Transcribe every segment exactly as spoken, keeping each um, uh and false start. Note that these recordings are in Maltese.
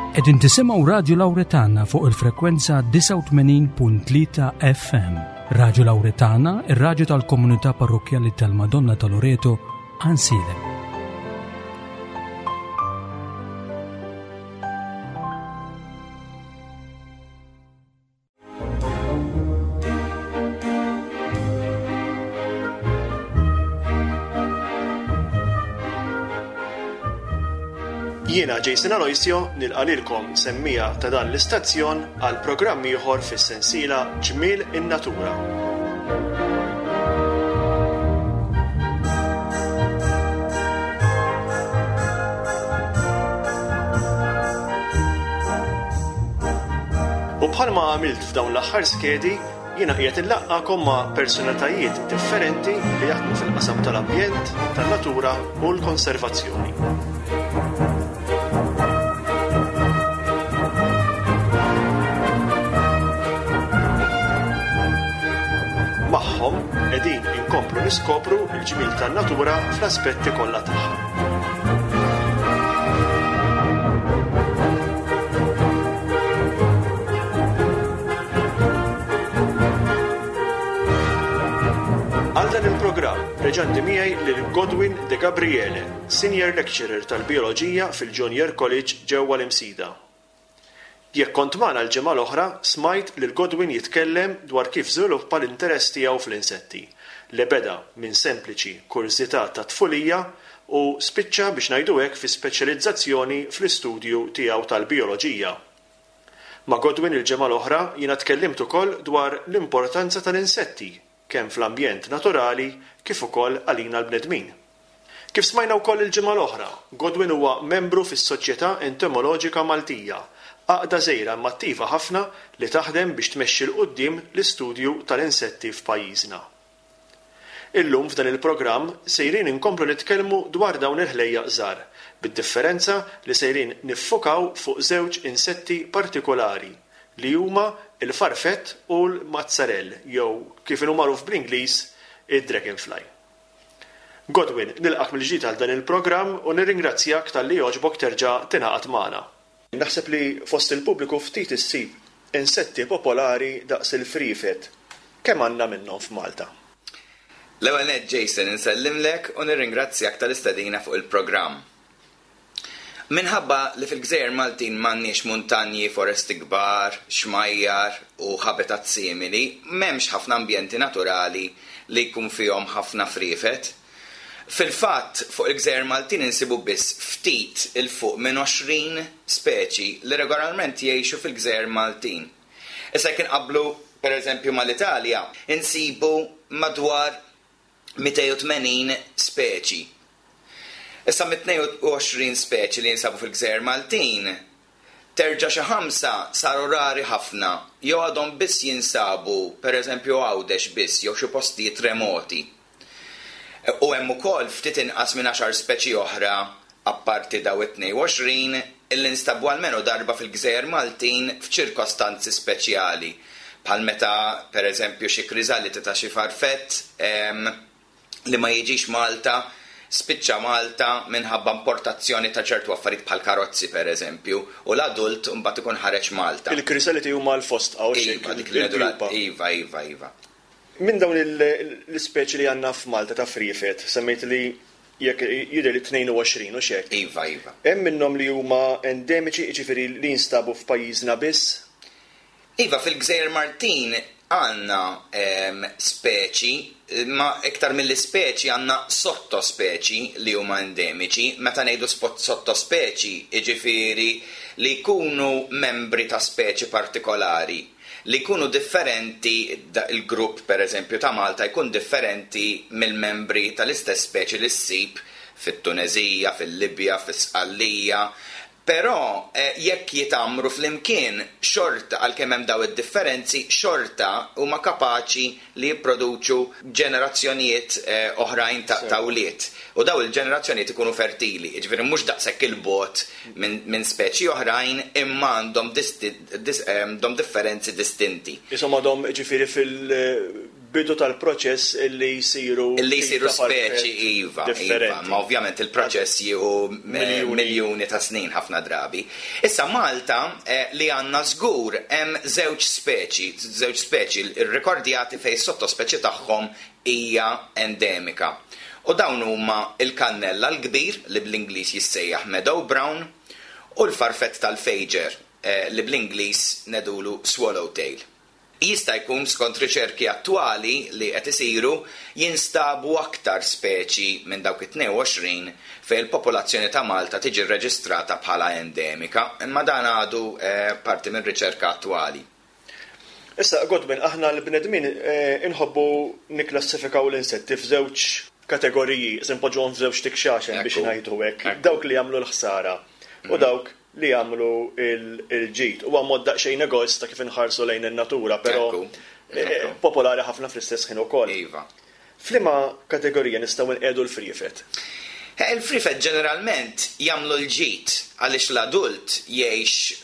Qegħdin tisimgħu Radio Lauretana fuq il-frekwenza disgħa u tmenin punt tlieta F M. Radio Lauretana, ir-radju tal-komunità parrokjali tal-Madonna ta' Loreto, Għajnsielem. Jiena Jason Aloisio nilqa' lilkom semmiegħa ta' dan l-istazzjon għal programm ieħor fis-sensiela Ġmiel in-Natura. U bħalma għamilt f'dawn l-aħħar skedi, jiena qiegħed inlaqqakom ma' personalitajiet differenti li jaħdmu fil-qasam tal-ambjent, tan-natura u l-konservazzjoni. Magħhom qegħdin inkomplu niskopru l-ġmiel tan-natura fl-aspetti kollha tagħha. Għal dan il-programm reġa' għandi miegħi lil Godwin De Gabriele, Senior Lecturer tal-Bioloġija fil-Junior College ġewwa l-Imsida. Jekk kont magħna l-ġimgħa l-oħra, smajt lil Godwin jitkellem dwar kif żviluppa l-interess tiegħu fl-insetti, li beda minn sempliċi kurżità ta' tfulija u spiċċa biex ngħidu hekk fi speċjalizzazzjoni fl-istudju tiegħu tal-bioloġija. Ma' Godwin il-ġimgħa l-oħra jiena tkellimt ukoll dwar l-importanza tal-insetti kemm fl-ambjent naturali kif ukoll għalina l-bnedmin. Kif smajna wkoll il-ġimgħa l-oħra, Godwin huwa membru fis-Soċjetà Entomoloġika Maltija, għaqda żgħira imma attiva ħafna li taħdem biex tmexxi 'l quddiem l-istudju tal-insetti f'pajjiżna. Illum f'dan il-programm sejrin inkomplu nitkellmu dwar dawn il-ħlejjaq żgħar, bid-differenza li sejrin niffukaw fuq żewġ insetti partikolari li huma il-farfett u l-mazzarell jew kif inhu magħruf bl-Ingliż id-dragonfly. Godwin, nilqak mill-ġdid għal dan il-programm u nirringrazzjak talli għoġbok terġa' tingħaqad magħna. Naħseb li fost il-pubbliku ftit issib insetti popolari daqs il-frifet. Kemm għandna minnhom f'Malta? L-ewwel nett, Jason, insellimlek u nirringrazzjak tal-istedina fuq il-programm. Minħabba li fil-Gżejjer Maltin m'għandniex muntanji, foresti kbar, xmajjar u habitat simili, m'hemmx ħafna ambjenti naturali li jkun fihom ħafna frifet. Fil-fatt, fuq il-Gżejjer Maltin insibu biss ftit 'il fuq minn għoxrin speċi li regolarment jgħixu fil-Gżejjer Maltin. Issa jekk inqablu per eżempju mal-Italja, insibu madwar mitejn u tmenin speċi. Issa mit-tnejn u għoxrin speċi li jinsabu fil-Gżejjer Maltin, terġa' xi ħamsa saru rari ħafna jew għadhom biss jinsabu pereżempju Għawdex biss jew xi postijiet remoti. U hemm ukoll ftit inqas minn għaxar speċi oħra apparti daw it-tnejn u għoxrin illi nstabu almenu darba fil-Gżejjer Maltin f'ċirkostanzi speċjali. Bħal meta pereżempju xi kriżaliti ta' xi farfett em, li ma jiġix Malta, spiċċa Malta minħabba importazzjoni ta' ċertu affarijiet bħal karozzi pereżempju, u l-adult mbagħad ikun ħareġ Malta. Il-krisaliti huma l-fosdqa u xejn. Iva, dik li ngħidu. Iva, iva, iva. Minn dawn l-ispeċi li għandna f'Malta ta' frifet, semmejt li jekk jidher li tnejn u għoxrin u xek. Iva, iva. Hemm minnhom li huma endemiċi, jiġifieri li jinstabu f'pajjiżna biss? Iva, fil-Gżejjer Maltin għandna em, speċi, ma iktar mill-ispeċi għandna sottospeċi li huma endemiċi. Meta ngħidu spot sottospeċi, jiġifieri li jkunu membri ta' speċi partikolari, li jkunu differenti, il-grupp per eżempju ta' Malta jkun differenti mill-membri tal-istess speċi li ssib fit-Tunezija, fil-Libja, fis-Sqallija. Però eh, jekk jitgħammru flimkien, xorta għalkemm hemm daw id-differenzi, xorta huma kapaċi li jipproduċu ġenerazzjonijiet eh, oħrajn ta' ta' wlied. U daw il-ġenerazzjonijiet ikunu fertili, jiġifieri mhux daqshekk 'il bogħod minn min speċi oħrajn imma għandhom disti- dis, eh, għandhom differenzi distinti. Isom għadhom ġifieri fil bidu tal-proċess illi jsiru Illi jsiru tip ta' farfett speċi, iva, iva, differenti. Ma ovvjament il-proċess jieħu eh, Miljuni. miljuni ta' snin ħafna drabi. Issa Malta eh, li għandna żgur hemm żewġ speċi, żewġ speċi rrekordjati fejn sottospeċi tagħhom hija endemika. U dawn huma il-kannella l-kbir, li bl-Ingliż jissejjaħ Meadow Brown, u l-farfett tal-fejġer, eh, li bl-Ingliż ngħidulu Swallowtail. Jista' jkun, skont riċerki attwali li qed isiru, jinstabu aktar speċi minn dawk it-tnejn u għoxrin fejn il-popolazzjoni ta' Malta tiġi rreġistrata bħala endemika, imma dan għadu eh, parti minn riċerka attwali. Issa, Godwin, aħna l-bnedmin eh, inħobbu niklassifikaw l-insetti f'żewġ kategoriji, se npoġġuhom f'żewġ tikxaxen biex Ekku. ngħidu hekk. Ekku. Dawk li jagħmlu l-ħsara u dawk li jagħmlu il- il-ġid. Huwa mod daqsxejn egoista kif inħarsu lejn in-natura, però Ekku. eh, Ekku. popolari ħafna fl-istess ħin ukoll. Iva. F'liema kategorija nistgħu nqiegħdu l-friefet? Eh, Il-friefet ġeneralment jagħmlu l-ġid għaliex l-adult jgħix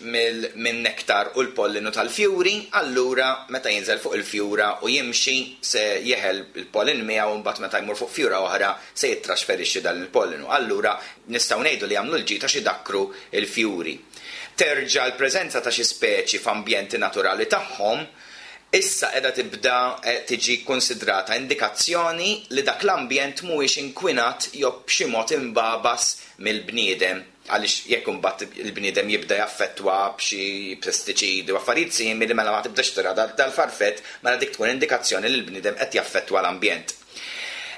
minn nektar u l-pollinu tal-fjuri, allura meta jinżel fuq il-fjura u jimxi se jeħel il-pollin miegħu, u mbagħad meta jmur fuq fjura oħra se jittrasferixxi dan il-pollinu. Allura nistgħu ngħidu li jagħmlu l-ġid għax idakkru il-fjuri. Terġa' l-preżenza ta' xi speċi f'ambjenti naturali tagħhom issa qiegħda tibda eh, tiġi konsidrata indikazzjoni li dak l-ambjent mhuwiex inkwinat jew b'xi mod imbabas mill-bniedem. Għaliex jekk imbagħad il-bniedem jibda jaffettwa b'xi pestiċidi u affarijiet simili, mela ma tibdax tara dal- dal-farfett, mela dik tkun indikazzjoni li l-bniedem qed jaffettwa l-ambjent.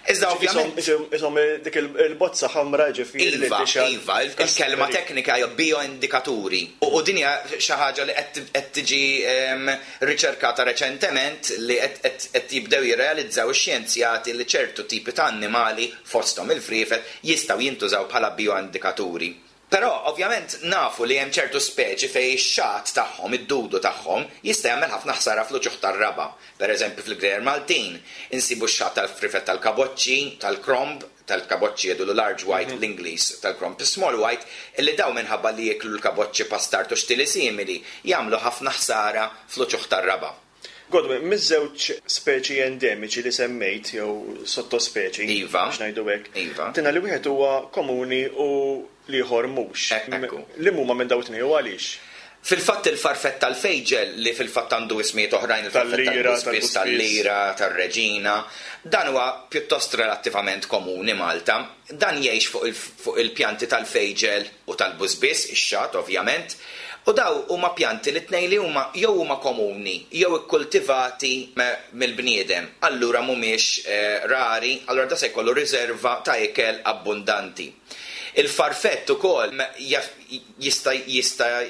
Iżda ovvjament Isom dik il-bozza ħamra, ġifieri li Iva, tixgħal- iva, il- il-kelma teknika hija bioindikaturi. U u din hija xi ħaġa li qed qed tiġi em, riċerkata reċentement, li qed- qed qed jibdew jirrealizzaw ix-xjenzjati li ċertu tipi ta' annimali, fosthom il-friefet, jistgħu jintużaw bħala bioindikaturi. Però ovvjament nafu li hemm ċertu speċi fejn ix-xagħat tagħhom, id-dudu tagħhom, jista' jagħmel ħafna ħsara fl-uċuħ tar-raba. Per eżempju, fil-Gżejjer Maltin insibu x-xagħat tal-friefet tal-kaboċċi, tal-kromb, tal-kaboċċi jgħidulu large white l-Ingliż, tal-kromb small white, illi daw minħabba li jieklu l-kaboċċi pastart u xtili simili jagħmlu ħafna ħsara fl-uċuħ tar-raba. Godwin, miż-żewġ speċi endemiċi li semmejt jew sottospeċi, Iva. biex ngħidu hekk, Iva. tina li wieħed huwa komuni u l-ieħor mhux. Ek- ekku. Li huma minn dawn it-tnejn u għaliex? Fil-fatt il-farfett tal-fejġel, li fil-fatt għandu ismijiet oħrajn, il-farfett Tal-lira, tal-buspis, tal-buspis. tal-lira, tal-reġina, dan huwa pjuttost relattivament komuni Malta. Dan jgħix fuq il- fuq il-pjanti tal-fejġel u tal-bużbis, ix-xagħat ovvjament. U daw huma pjanti li tnejn li huma jew huma komuni jew ikkultivati me- mill-bniedem. Allura mhumiex eh, rari, allura da se jkollu riserva ta' ikel abbundanti. Il-farfett ukoll jaf- jista' jista'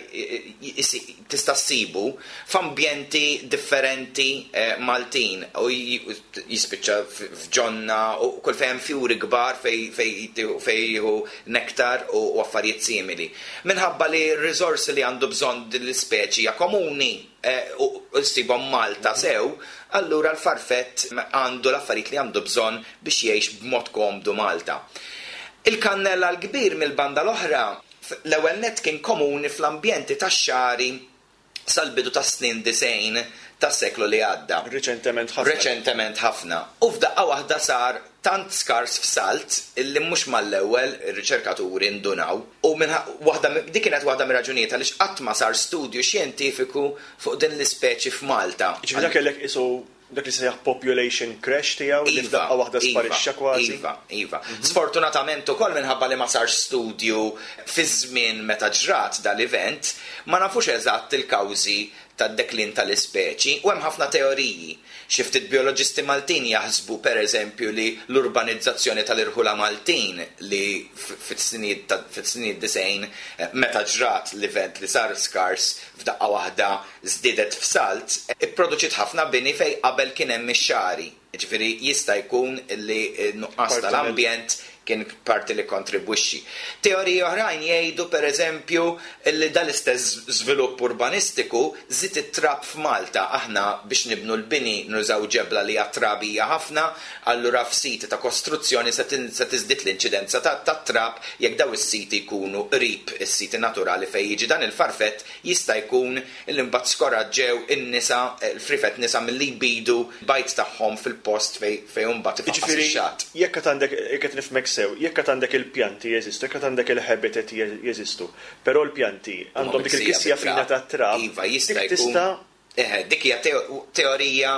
jisi- tista' ssibu f'ambjenti differenti eh, Maltin u j- jispiċċa f- f'ġonna u kull fejn fjuri kbar fej fej fej jieħu nektar u u affarijiet simili. Minħabba li r-riżorsi li għandu bżonn din l-ispeċi hija komuni eh, u u ssibhom Malta sew, allura l-farfett għandu l-affarijiet li għandu bżonn biex jgħix b'mod komdu Malta. Il-kannella l-kbir mill-banda l-oħra, f- l-ewwel net kien komuni fl-ambjenti tax-xagħri sal-bidu tas snin disgħin tas-seklu li għadda. Reċentement ħafna. Reċentement ħafna. U f'daqqa waħda sar tant skars f'salt illi mhux mal-ewwel ir-riċerkaturi ndunaw. U minħa, waħda, dik kienet waħda mir-raġunijiet għaliex qatt ma sar studju xjentifiku fuq din l-ispeċi f'Malta. Ġifieri dak kellek isu dak li sejjaħ population crash tiegħu li f'daqqa waħda sparixxa kważi. Iva, iva. Sfortunatament ukoll minħabba li ma sarx studju fi żmien meta ġrat dal-event, ma nafux eżatt il-kawżi tad-deklin tal-ispeċi u hemm ħafna teoriji. Xi ftit bioloġisti Maltin jaħsbu, per eżempju, li l-urbanizzazzjoni tal-irħula Maltin, li fit-snin fit-snin disgħin, eh, meta ġrat l-event li sar skars f'daqqa waħda żdiedet f'salt, ipproduċiet ħafna bini fej qabel kien hemm ix-xagħri. Ġifieri jista' jkun li nuqqas Parti tal-ambjent Kien parti li kontribwixxi. Teoriji oħrajn jgħidu, pereżempju, li dal-istess żvilupp urbanistiku żied it-trab f'Malta. Aħna biex nibnu l-bini nużaw ġebla li hija trabija ħafna, allura f'siti ta' kostruzzjoni se tiżdied l-inċidenza tat-trab. Jekk daw is-siti jkunu qrib is-siti naturali fejn jiġi dan il-farfett, jista' jkun li mbagħad skoraġġew in-nisa, il-frifet nisa, milli jbidu bajd tagħhom fil-post fejn mbagħad ifaqqas ix-xatt. Jekk qed għandek, jekk qed nifhmek sew, jekk qed għandek il-pjanti jeżistu, jekk qed għandek il-habitat jeżistu, però l-pjanti għandhom dik il-kisja fina tat-trab. Iva, jista' jkun. Eħe, dik hija teorija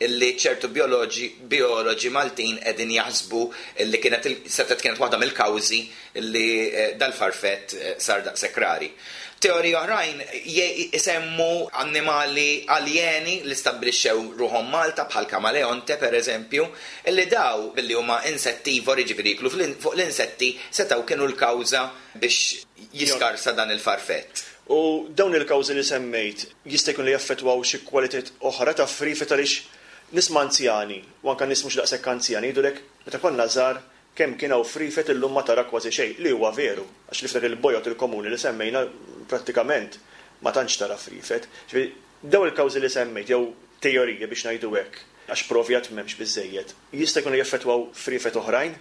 li ċertu bioloġi bioloġi Maltin qegħdin jaħsbu li kienet setgħet kienet waħda mill-kawżi li dal-farfett sar daqshekk rari. Teoriji oħrajn isemmu annimali aljeni li stabbilixxew ruħhom Malta, bħal kamaleonte pereżempju, li daw billi huma insettivori, ġifieri jiklu fuq l-insetti, setgħu kienu l-kawża biex jiskarsa dan il-farfett. U dawn il-kawżi li semmejt jista' jkun li jaffettwaw xi kwalitajiet oħra ta' friefet, għaliex nisma' anzjani u anke nies mhux daqshekk anzjani jgħidulek, "Meta konna żgħar kemm kien hawn friefet, illum ma tara kważi xejn," li huwa veru, għax li f'dak il-bojot il-komuni li semmejna prattikament ma tantx tara friefet. Ġifieri dawn il-kawżi li semmejt jew teorija biex ngħidu hekk, għax provi għad m'hemmx biżejjed, jista' jkun li jaffettwaw friefet oħrajn?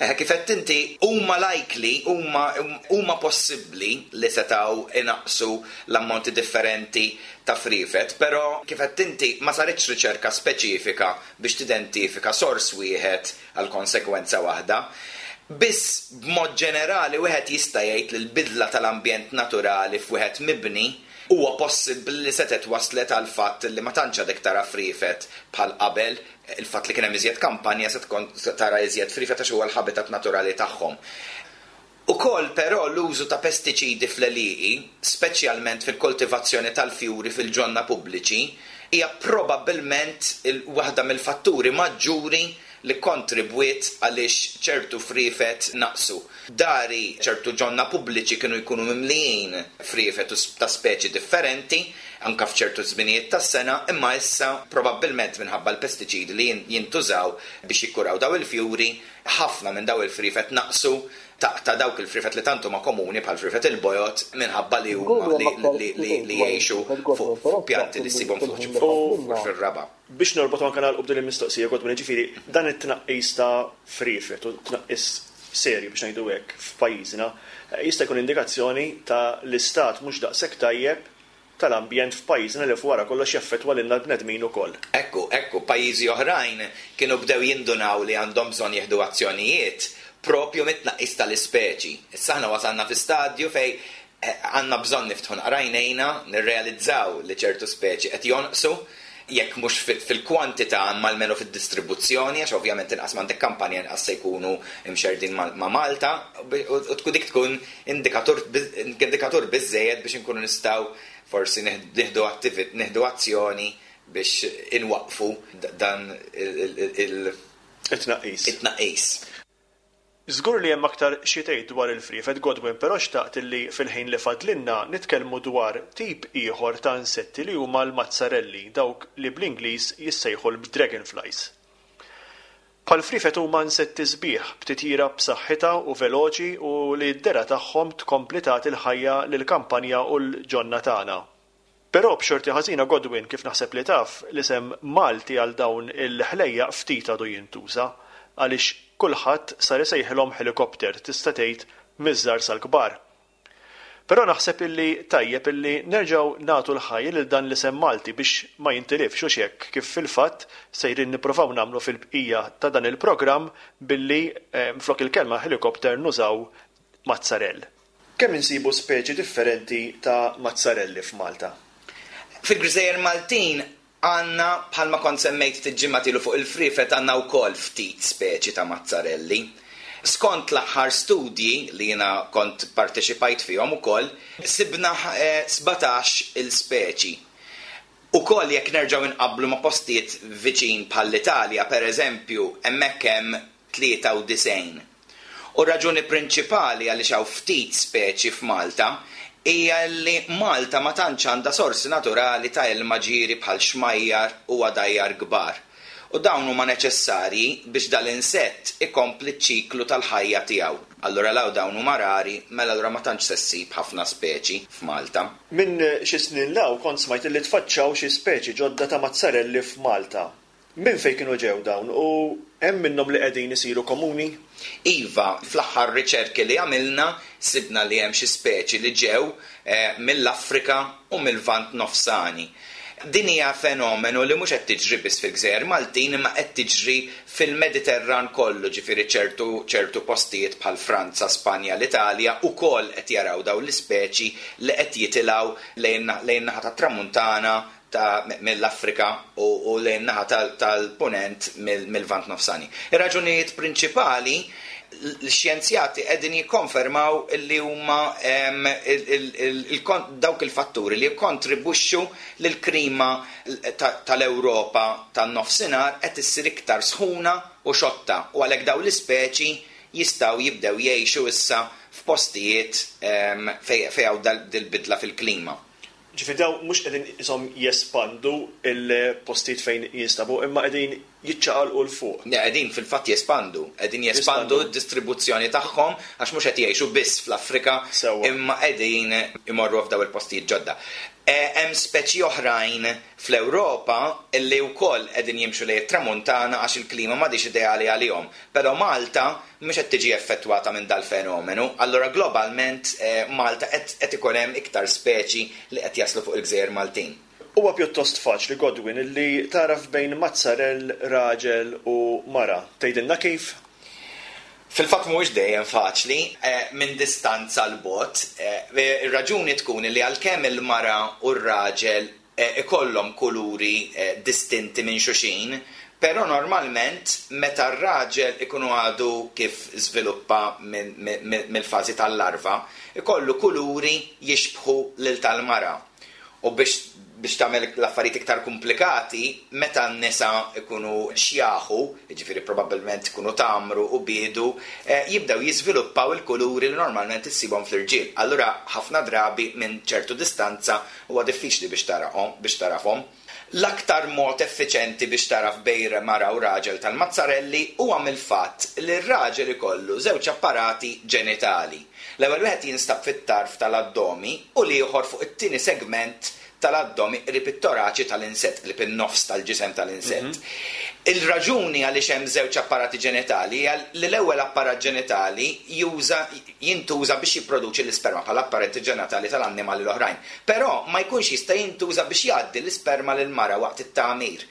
Eh, kif qed inti, huma likely, huma huma possibbli li setgħu inaqsu l-ammonti differenti ta' friefet, però kif qed inti ma saritx riċerka speċifika biex tidentifika sors wieħed għal konsekwenza waħda. Biss b'mod ġenerali wieħed jista' jgħid li l-bidla tal-ambjent naturali f'wieħed mibni huwa possibbli li setgħet waslet għal fatt li ma tantx għadek tara friefet bħal qabel. Il-fatt li kien hemm iżjed kampanja, se tkun tara iżjed friefet għax huwa l-habitat naturali tagħhom. Ukoll però l-użu ta' pestiċidi fl-għelieqi, speċjalment fil-koltivazzjoni tal-fjuri fil-ġonna pubbliċi, hija probabbilment waħda mill-fatturi maġġuri li kontribwiet għaliex ċertu friefet naqsu. Dari ċertu ġonna pubbliċi kienu jkunu mimlijin friefet ta' speċi differenti, anka f'ċertu żminijiet tas-sena, imma issa probabbilment minħabba l-pestiċidi li jintużaw biex jikkuraw daw il-fjuri, ħafna minn daw il-friefet naqsu, ta' dawk il-friefet li tantu ma komuni bħal friefet il-bojot, minħabba li huma li jgħixu fuq pjanti li ssibhom fir-raba. Biex norbot anke nagħlqu b'din il-mistoqsija, Godwin, ġifieri dan it-tnaqqis ta' friefet u tnaqqis serju biex ngħidu hekk f'pajjiżna jista' jkun indikazzjoni ta' l-istat mhux daqshekk tajjeb tal-ambjent f'pajjiżna, li wara kollox jaffettwa lilna l-bnedmin ukoll. Ekku, ekku, pajjiżi oħrajn kienu bdew jindunaw li għandhom bżonn jieħdu azzjonijiet propju mit-tnaqqis tal-ispeċi. Issa aħna wasalna fi stadju fej għandna bżonn niftħu għajnejna, nirrealizzaw li ċertu speċi qed jonqsu, jekk mhux fil-kwantità imma almenu fid-distribuzzjoni, għax ovvjament inqas m'għandek kampanja inqas se jkunu imxerdin ma' Malta, u tkun dik tkun indikatur indikatur biżejjed biex inkunu nistgħu forsi nieħdu nieħdu azzjoni biex inwaqfu dan it-tnaqqis. It-tnaqqis. Żgur li hemm aktar xi tgħid dwar il-friefet, Godwin, però xtaqt li fil-ħin li fadlinna nitkellmu dwar tip ieħor ta' insetti li huma l-mazzarelli, dawk li bl-Ingliż jissejħu l-dragonflies. Bħal-friefet huma insetti sbieħ b'titjira b'saħħitha u veloċi u li d-dehra tagħhom tkompli tagħti l-ħajja lill-kampanja u l-ġonna tagħna. Però b'xorti ħażina, Godwin, kif naħseb li taf, l-isem Malti għal dawn il-ħlejjaq ftit għadu jintuża, għaliex kulħadd sar isejħilhom helikopter, tista' tgħid miż-żgħar sal-kbar. Però naħseb illi tajjeb illi nerġgħu nagħtu l-ħajja lil dan l-isem Malti biex ma jintilifx, u hekk kif fil-fatt sejrin nippruvaw nagħmlu fil-bqija ta' dan il-programm billi flok il-kelma helikopter nużaw mazzarell. Kemm insibu speċi differenti ta' mazzarelli f'Malta? Fil-Gżejjer Maltin għandna, bħalma kont semmejt ftit ilu fuq il-friefet, għandna wkoll ftit speċi ta' mazzarelli. Skont l-aħħar studji li jiena kont parteċipajt fihom ukoll, sibna sbatax il-speċi. Ukoll jekk nerġgħu inqabblu ma' postijiet viċin bħall-Italja, pereżempju, hemmhekk hemm tlieta u disgħin. U raġuni prinċipali għaliex hawn ftit speċi f'Malta hija li Malta ma tantx għandha sorsi naturali ta' ilma ġieri bħal xmajjar u għadajjar kbar. U dawn huma neċessarji biex dal-insett ikompli ċ-ċiklu tal-ħajja tiegħu. Allura law dawn huma rari, mela allura ma tantx se ssib ħafna speċi f'Malta. Minn xi snin 'l hawn kont smajt li tfaċċaw xi speċi ġodda ta' mazzarelli f'Malta. Minn fejn kienu ġew dawn u hemm minnhom li qegħdin isiru komuni? Iva, fl-aħħar riċerki li għamilna sibna li hemm xi speċi li ġew eh, mill-Afrika u mill-Lvant Nofsani. Din hija fenomenu li mhux qed tiġri biss fil-Gżejjer Maltin, imma qed tiġri fil-Mediterran kollu, ġifieri ċertu ċertu postijiet bħal Franza, Spanja, l-Italja ukoll qed jaraw dawn l-ispeċi li qed jitilgħu lejn lejn naħa tat-Tramuntana ta' mill-Afrika u, u lejn naħa tal-Punent mill-Lvant Nofsani. Ir-raġunijiet prinċipali, l-xjenzjati qegħdin jikkonfermaw li huma dawk il-fatturi li jikkontribwixxu lill-klima tal-Ewropa tan-nofsinhar qed issir iktar sħuna u xotta, u għalhekk dawn l-ispeċi jistgħu jibdew jgħixu issa f'postijiet fejn hawn dil-bidla fil-klima. Ġifieri dawn mhux qegħdin isom jespandu il-postijiet fejn jinstabu, imma qegħdin jiċċaqalqu 'l fuq. Ne, qegħdin fil-fatt jespandu, qegħdin jespandu d-distribuzzjoni tagħhom għax mhux qed jgħixu biss fl-Afrika, imma qegħdin imorru f'daw il-postijiet ġodda. Hemm speċi oħrajn fl-Ewropa illi wkoll qegħdin jimxu lejn it-tramuntana għax il-klima m'għadix ideali għalihom. Però Malta mhux qed tiġi effettwata minn dal-fenomenu, allura globalment Malta qed ikun hemm iktar speċi li qed jaslu fuq il-Gżejjer Maltin. Huwa pjuttost faċli, Godwin, illi taraf bejn mazzarell raġel u mara. Tgħidilna kif? Fil-fatt mhuwiex dejjem faċli minn distanza 'l bogħod. Ir-raġuni tkun li għalkemm il-mara u r-raġel ikollhom kuluri distinti minn xulxin, però normalment meta r-raġel ikunu għadu kif żviluppa mill-fażi tal-larva, ikollu kuluri jixbħu lil tal-mara. U biex biex tagħmel l-affarijiet iktar komplikati, meta n-nisa ikunu xjaħu, jiġifieri probabbilment ikunu tamru u biedu, jibdew jiżviluppaw il-kuluri li normalment issibhom fl-irġiel. Allura ħafna drabi minn ċertu distanza huwa diffiċli biex tarahom, biex tarafhom. L-aktar mod effiċenti biex taraf bejn mara u raġel tal-mazzarelli huwa mill-fatt li r-raġel ikollu żewġ apparati ġenitali. L-ewwel wieħed jinstab fit-tarf tal-addomi u l-ieħor fuq it-tieni segment tal-addomi qrib it-toraċi tal-insett, qrib in-nofs tal-ġisem tal-insett. Il-raġuni għaliex hemm żewġ apparati ġenitali hija li l-ewwel apparat ġenitali juża jintuża biex jipproduċi l-isperma bħala apparati ġenitali tal-annimali l-oħrajn. Però ma jkunx jista' jintuża biex jgħaddi l-isperma lil mara waqt it-tagħmir.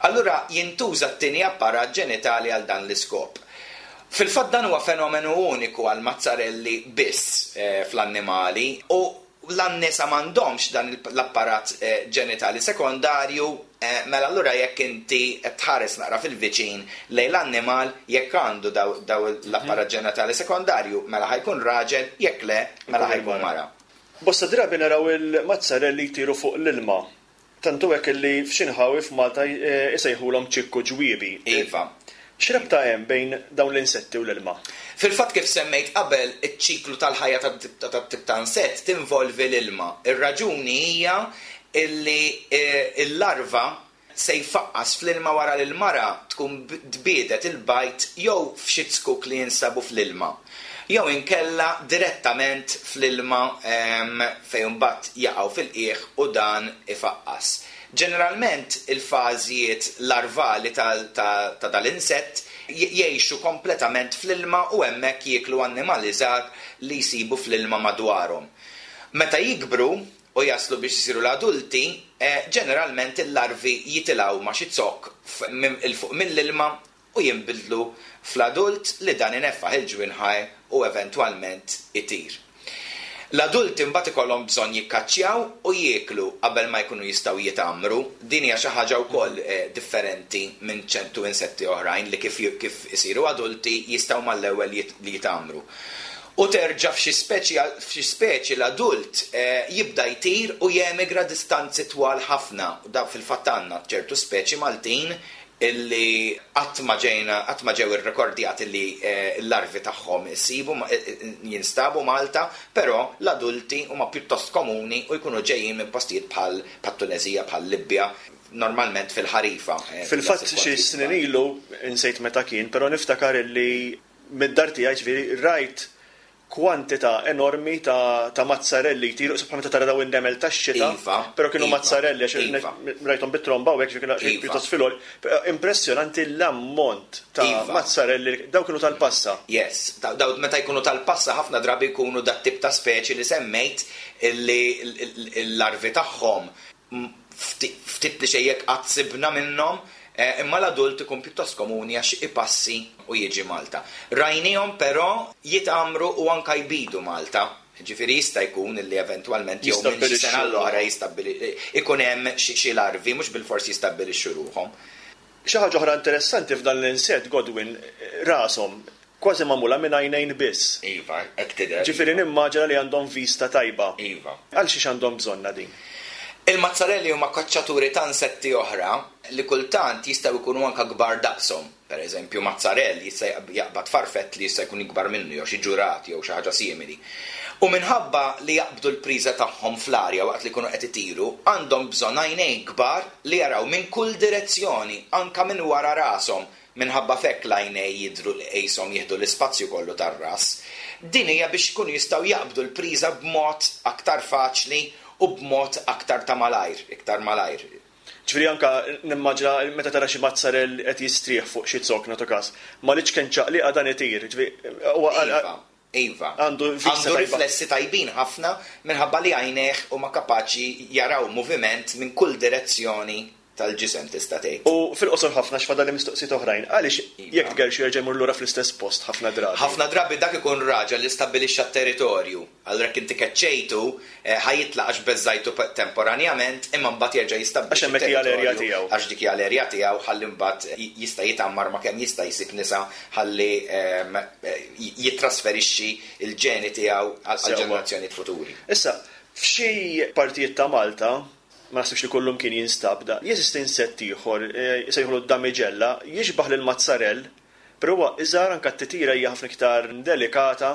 Allura jintuża t-tieni apparat ġenitali għal dan l-iskop. Fil-fatt dan huwa fenomenu uniku għal mazzarelli biss fl-annimali, u l-annisa m'għandhomx dan l-apparat ġenitali sekondarju, mela allura jekk inti qed tħares naqra fil-viċin lejn l-annimal, jekk għandu daw l-apparat ġenitali sekondarju, mela ħajkun raġel, jekk le, mela ħajkun mara. Bosta drabi naraw il-mazzarelli jtiru fuq l-ilma. Tantu hekk li f'xi nħawi f'Malta isejħulhom ċikku ġwiebi. Iva. X'rabta hemm bejn dawn l-insetti u l-ilma? Fil-fatt kif semmejt qabel, iċ-ċiklu tal-ħajja tat-tip ta' insett tinvolvi l-ilma. Ir-raġuni hija illi l-larva se jfaqqas fl-ilma wara li l-mara tkun tbiedet il-bajt jew f'xi zkuk li jinsabu fl-ilma, jew inkella direttament fl-ilma fejn imbagħad jaqgħu fil-qiegħ u dan ifaqqas. Ġeneralment il-fażijiet larvali ta' dal-insett jgħixu kompletament fl-ilma u hemmhekk jieklu annimali żgħar li jsibu fl-ilma madwarhom. Meta jikbru u jaslu biex isiru l-adulti, ġeneralment il-larvi jitilgħu ma' xi zokk 'il fuq mill-ilma u jinbidlu fl-adult li dan ineffaħ il-ġwinħaj u eventwalment itir. L-adulti mbagħad ikollhom bżonn jikkaċċjaw u jieklu qabel ma jkunu jistgħu jitamru. Din hija xi ħaġa wkoll differenti minn ċertu insetti oħrajn li kif kif isiru adulti jistgħu mal-ewwel li jitamru. U terġa' f'xi speċi f'xi speċi l-adult jibda jtir u jemigra distanzi twal ħafna. Da fil-fatt għandna ċertu speċi Maltin illi qatt ma ġejna qatt ma ġew irrekordjati li l-larvi tagħhom isibu jinstabu Malta, però l-adulti huma pjuttost komuni u jkunu ġejjin minn postijiet bħal Tunezija, bħal Libja, normalment fil-ħarifa. Eh, Fil-fatt xi snin ilu, insejt meta kien, però niftakar illi mid-dar tiegħi, ġifieri, rajt kwantità enormi ta', ta' mazzarelli jtiru, sopra meta tara daw in-nemel tax-xita, Iva, però kienu iva, mazzarelli għax iva. rajthom bit-tromba u hekk, ġifieri kienu Iva. pjuttost fil. Impressjonanti l-ammont ta' Iva. mazzarelli, daw kienu tal-passa. Yes, daw daw meta jkunu tal-passa ħafna drabi jkunu dat tip ta' speċi li semmejt, illi l-larvi tagħhom m- fti- ftit li xejjek qatt sibna minnhom, eh, imma l-adult ikun pjuttost komuni għax ipassi u jiġi Malta. Rajnihom però jitgħammru u anka jbidu Malta. Ġifieri jista' jkun illi eventwalment jew minn xi sena l-oħra jistabili ikun hemm xi xi larvi, mhux bilfors jistabbilixxu ruħhom. Xi ħaġa oħra interessanti f'dan l-insett, Godwin, rashom kważi magħmula minn għajnejn biss. Iva, hekk tidher. Ġifieri nimmaġina li għandhom vista tajba. Iva. Għal xiex għandhom bżonna din? Il-mazzarelli huma kaċċaturi ta' insetti oħra li kultant jistgħu jkunu anka kbar daqshom. Per eżempju, mazzarell jista' jaqbad farfett li jista' jkun ikbar minnu jew xi ġurat jew xi ħaġa simili. U minħabba li jaqbdu l-priża tagħhom fl-arja waqt li jkunu qed itiru, għandhom bżonn għajnejn kbar li jaraw minn kull direzzjoni, anka minn wara rashom, minħabba fekk l-għajnej jidru li qishom jieħdu l-ispazju kollu tar-ras. Din hija biex jkunu jistgħu jaqbdu l-priża b'mod aktar faċli u b'mod aktar ta' malajr, iktar malajr. Ġifieri anka nimmaġina meta tara xi mazzarell qed jistrieħ fuq xi zokk, nagħtu każ, ma l-iċken ċaqliqa dan itir. Ġifieri huwa Iva, iva. Għandu vista Għandu tajba. riflessi tajbin ħafna minħabba li għajnejh huma kapaċi jaraw moviment minn kull direzzjoni tal-ġisem, tista' tgħid. U fil-qosor ħafna, x'fadal li mistoqsijiet oħrajn, għaliex Iva. jekk tgerxu jerġa' jmur lura fl-istess post ħafna drabi? Ħafna drabi dak ikun raġel li stabbilixxa t-territorju. Allura jekk inti keċċejtu, eh, ħa jitlaq għax beżżajtu pe- temporanjament, imma mbagħad jerġa' jistabbilixxi Għax hemmhekk hija l-erja t-territorju. tiegħu. Għax dik hija l-erja tiegħu, ħalli mbagħad j- jista' jitgħammar ma' kemm jista' jsib nisa ħalli ehm, eh, jittrasferixxi il-ġeni tiegħu għal Sewwa. ġenerazzjonijiet futuri. Issa, f'xi partijiet ta' Malta, ma naħsibx li kullum kien jinstab da, jeżisti insett ieħor, eh, jsejħulu d-damiġella, jixbaħ lil mazzarell, però huwa iżgħar, anka t-titira hija ħafna iktar delikata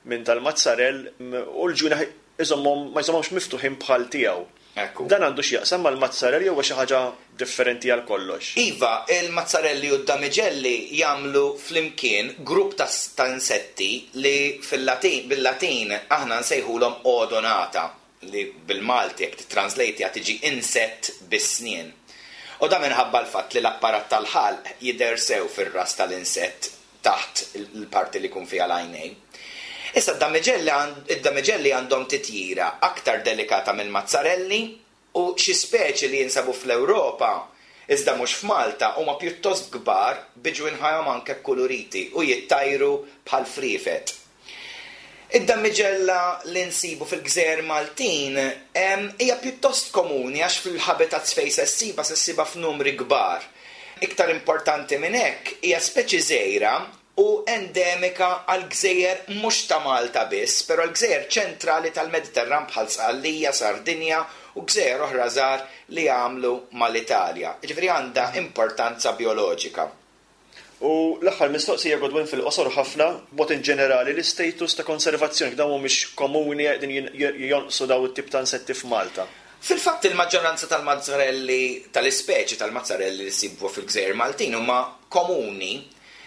minn tal-mazzarell m- u l-ġwienaħ iżommhom ma jżommhomx miftuħin bħal tiegħu. Ekku. Dan għandu x'jaqsam mal-mazzarell jew huwa xi ħaġa differenti għal kollox? Iva, il-mazzarelli u d-damiġelli jagħmlu flimkien grupp ta' ta' insetti li fil-Latin, bil-Latin aħna nsejħulhom odonata, li bil-Malti jekk titranslate tiġi insett bis-snien. U da minħabba l-fatt li l-apparat tal-ħalq jidher sew fir-ras tal-insett taħt il-parti li jkun fiha l-għajnejn. Issa d-damiġelli għand- id-damiġelli għandhom titjira aktar delikata mill-mazzarelli u xi speċi li jinsabu fl-Ewropa iżda mhux f'Malta huma pjuttost kbar bi ġwinħajhom anke kuluriti u jittajru bħal friefet. Id-damiġella li nsibu fil-gżejjer Maltin em, hija pjuttost komuni għax fil-habitats fejn se ssibha, se ssibha f'numri kbar. Iktar importanti minn hekk, hija speċi żgħira u endemika għal gżejjer mhux ta' Malta biss, però l-gżejjer ċentrali tal-Mediterran bħal Sqallija, Sardinja u gżejjer oħra żgħar li jagħmlu mal-Italja. Ġifieri għandha importanza bioloġika. U l-aħħar mistoqsija, Godwin, fil-qosor ħafna, b'mod in ġenerali l-istatus ta' konservazzjoni, dawn mhumiex komuni, qegħdin jin- jonqsu daw it-tip ta' insetti f'Malta? Fil-fatt il-maġġoranza tal-mazzarelli, tal-ispeċi tal-mazzarelli li sibu fil-gżejjer Maltin huma komuni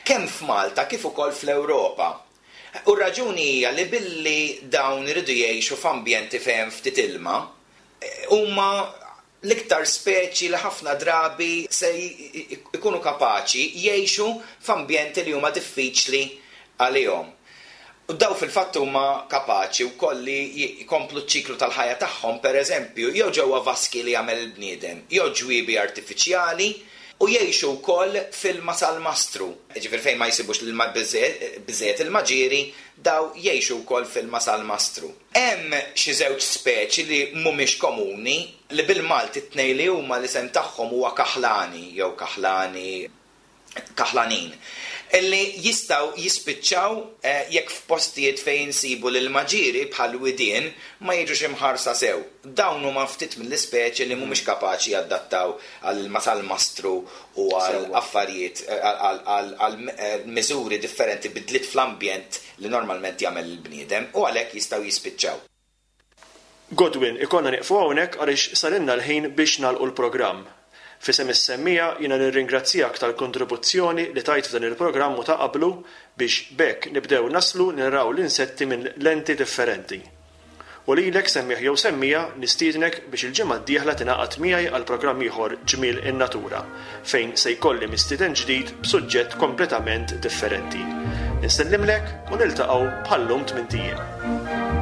kemm f'Malta kif ukoll fl-Ewropa. U r-raġuni hija li billi dawn iridu jgħixu f'ambjenti fejn ftit ilma, eh, huma l-iktar speċi li ħafna drabi se j- ikunu kapaċi jgħixu f'ambjenti li huma diffiċli għalihom. U daw fil-fatt huma kapaċi wkoll li jkomplu ċ-ċiklu tal-ħajja tagħhom, pereżempju, jew ġewwa vaski li jagħmel il-bniedem, jew ġwiebi artifiċjali, u jgħixu wkoll f'ilma salmastru. Ġifieri fejn ma jsibux l-ilma biżejjed ilma ġieri, daw jgħixu wkoll f'ilma salmastru. Hemm xi żewġ speċi li mhumiex komuni, li bil-Malti t-tnejn li huma l-isem tagħhom huwa kaħlani jew kaħlani, kaħlanin, illi jistgħu jispiċċaw eh, jekk f'postijiet fejn insibu l-ilma ġieri bħal widien ma jiġux imħarsa sew. Dawn huma ftit mill-ispeċi li mhumiex kapaċi jadattaw għal ilma salmastru u għal Sewwa. affarijiet, eh, għal, għal, għal, eh, miżuri differenti, bidliet fl-ambjent li normalment jagħmel il-bniedem, u għalhekk jistgħu jispiċċaw. Godwin, ikollna nieqfu hawnhekk għaliex sarinna l-ħin biex nagħlqu l-programm. F'isem is-semmiegħa jiena nirringrazzjak tal-kontribuzzjoni li tajt f'dan il-programm u ta' qablu biex b'hekk nibdew naslu naraw l-insetti minn lenti differenti. U lilek semmiegħ jew semmiegħa nistiednek biex il-ġimgħa d-dieħla tingħaqad miegħi għal programm ieħor Ġmiel in-Natura fejn se jkolli mistieden ġdid b'suġġett kompletament differenti. Insellimlek u niltaqgħu bħal-lum tmint ijiem.